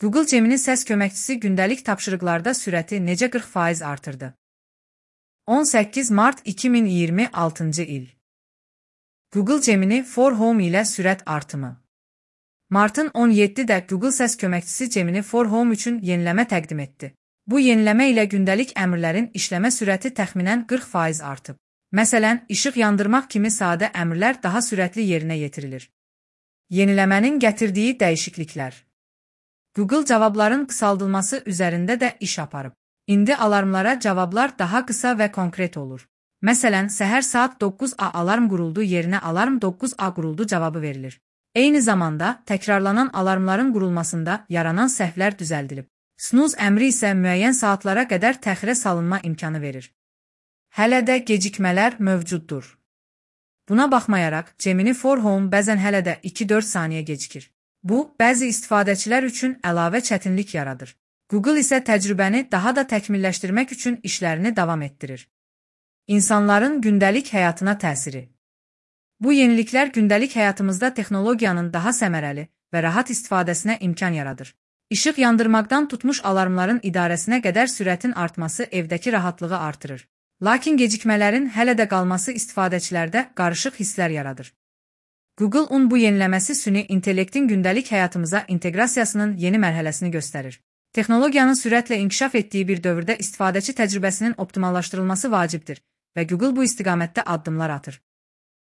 Google Gemini səs köməkçisi gündəlik tapşırıqlarda sürəti necə 40% artırdı? 18 mart 2026 il. Google Gemini for Home ilə sürət artımı. Martın 17-də Google səs köməkçisi Gemini for Home üçün yeniləmə təqdim etdi. Bu yeniləmə ilə gündəlik əmrlərin işləmə sürəti təxminən 40% artıb. Məsələn, işıq yandırmaq kimi sadə əmrlər daha sürətli yerinə yetirilir. Yeniləmənin gətirdiyi dəyişikliklər. Google cavabların qısaldılması üzərində də iş aparıb. İndi alarmlara cavablar daha qısa və konkret olur. Məsələn, səhər saat 9-a alarm quruldu yerinə alarm 9-a quruldu cavabı verilir. Eyni zamanda, təkrarlanan alarmların qurulmasında yaranan səhvlər düzəldilib. Snooze əmri isə müəyyən saatlara qədər təxirə salınma imkanı verir. Hələ də gecikmələr mövcuddur. Buna baxmayaraq, Gemini for Home bəzən hələ də 2-4 saniyə gecikir. Bu, bəzi istifadəçilər üçün əlavə çətinlik yaradır. Google isə təcrübəni daha da təkmilləşdirmək üçün işlərini davam etdirir. İnsanların gündəlik həyatına təsiri. Bu yeniliklər gündəlik həyatımızda texnologiyanın daha səmərəli və rahat istifadəsinə imkan yaradır. İşıq yandırmaqdan tutmuş alarmların idarəsinə qədər sürətin artması evdəki rahatlığı artırır. Lakin gecikmələrin hələ də qalması istifadəçilərdə qarışıq hisslər yaradır. Google-un bu yeniləməsi süni intellektin gündəlik həyatımıza inteqrasiyasının yeni mərhələsini göstərir. Texnologiyanın sürətlə inkişaf etdiyi bir dövrdə istifadəçi təcrübəsinin optimallaşdırılması vacibdir və Google bu istiqamətdə addımlar atır.